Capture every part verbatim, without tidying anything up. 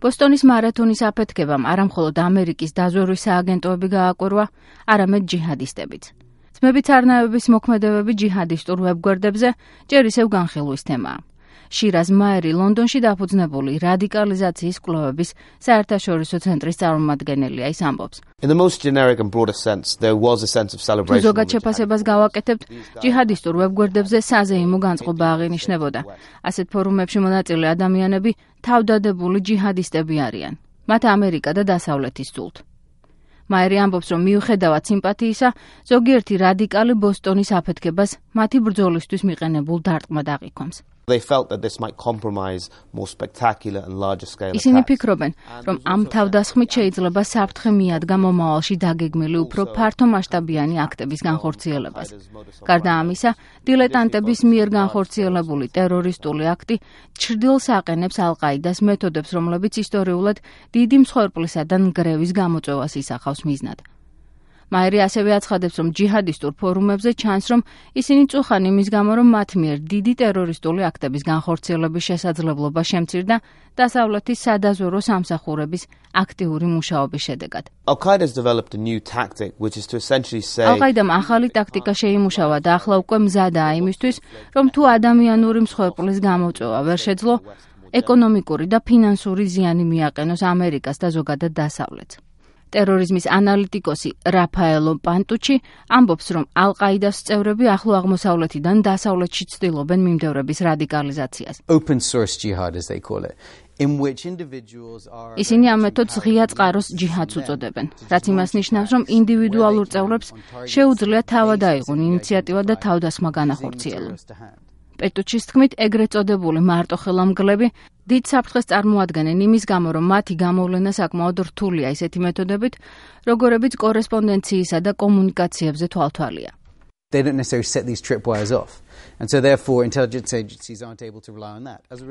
ბოსტონის მარათონის აფეთქებამ არამხოლოდ ამერიკის დაზვერვის სააგენტოები გააკვირვა, არამედ ჯიჰადისტებიც. ძმებით არნაევების მოქმედებები ჯიჰადისტურ ვებგვერდებზე ჯერ ისევ განხილვის თემაა. შირაზ მაერი ლონდონში დაფუძნებული რადიკალიზაციის კვლევების საერთაშორისო ცენტრის წარმომადგენელია, ის ამბობს. ზოგად შეფასებას გავაკეთებთ, ჯიჰადისტურ ვებგვერდებზე საზეიმო განწყობა აღინიშნებოდა. ასეთ ფორუმებში მონაწილე ადამიანები თავდადებული ჯიჰადისტები არიან. მათ ამერიკა და დასავლეთი სძულთ. მაერი ამბობს, რომ მიუხედავად სიმპათიისა, ზოგიერთი რადიკალი ბოსტონის აფეთქებას მათი ბრძოლისთვის მიყენებულ დარტყმად აღიქვამს. ისინი ფიქრობენ, რომ ამ თავდასხმით შეიძლება საფრთხე მიადგა მომავალში დაგეგმილი უფრო ფართომასშტაბიანი აქტების განხორციელებას. გარდა ამისა, დილეტანტების მიერ განხორციელებული ტერორისტული აქტი ჩრდილს აყენებს ალ-ყაიდას მეთოდებს, რომლებიც ისტორიულად დიდი მსხვერპლისა და ნგრევის გამოწვევას ისახავს მიზნად. მაერი ასევე აცხადებს, რომ ჯიჰადისტურ ფორუმებზე ჩანს, რომ ისინი წუხან იმის გამო, რომ მათ მიერ დიდი ტერორისტული აქტების განხორციელების შესაძლებლობა შემცირდა დასავლეთის სადაზვერვო სამსახურების აქტიური მუშაობის შედეგად. ალ-ყაიდამ ახალი ტაქტიკა შეიმუშავა და ახლა უკვე მზადაა იმისთვის, რომ თუ ადამიანური მსხვერპლის გამოწვევა ვერ შეძლო, ეკონომიკური და ფინანსური ზიანი მიაყენოს ამერიკას და ზოგადად დასავლეთს. ტერორიზმის ანალიტიკოსი რაფაელო პანტუჩი ამბობს, რომ ალ-ყაიდას წევრები ახლო აღმოსავლეთიდან დასავლეთში ცდილობენ მიმდევრების რადიკალიზაციას. ისინი ამ მეთოდს ღია წყაროს ჯიჰადს უწოდებენ, რაც იმას ნიშნავს, რომ ინდივიდუალურ წევრებს შეუძლიათ თავად აიღონ ინიციატივა და თავდასხმა განახორციელონ. პეტუჩის თქმით, ეგრეთ წოდებული მარტოხელა-მგლები დიდ საფრთხეს წარმოადგენენ იმის გამო, რომ მათი გამოვლენა საკმაოდ რთულია ისეთი მეთოდებით, როგორებიც კორესპონდენციისა და კომუნიკაციებზე თვალთვალია.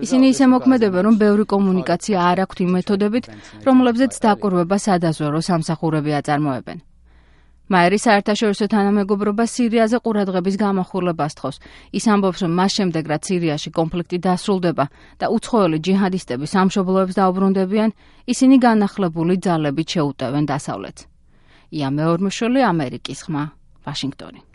ისინი ისე მოქმედებენ, რომ ბევრი კომუნიკაცია არ აქვთ იმ მეთოდებით, რომლებზეც დაკვირვება სადაზვერვო სამსახურები აწარმოებენ. მაერი საერთაშორისო თანამეგობრობა სირიაზე ყურადღების გამახვილებას თხოვს. ის ამბობს, რომ მას შემდეგ, რაც სირიაში კონფლიქტი დასრულდება და უცხოელი ჯიჰადისტები სამშობლოებს დაუბრუნდებიან, ისინი განახლებული ძალებით შეუტევენ დასავლეთს. ია მეორმოშვილი, ამერიკის ხმა, ვაშინგტონი.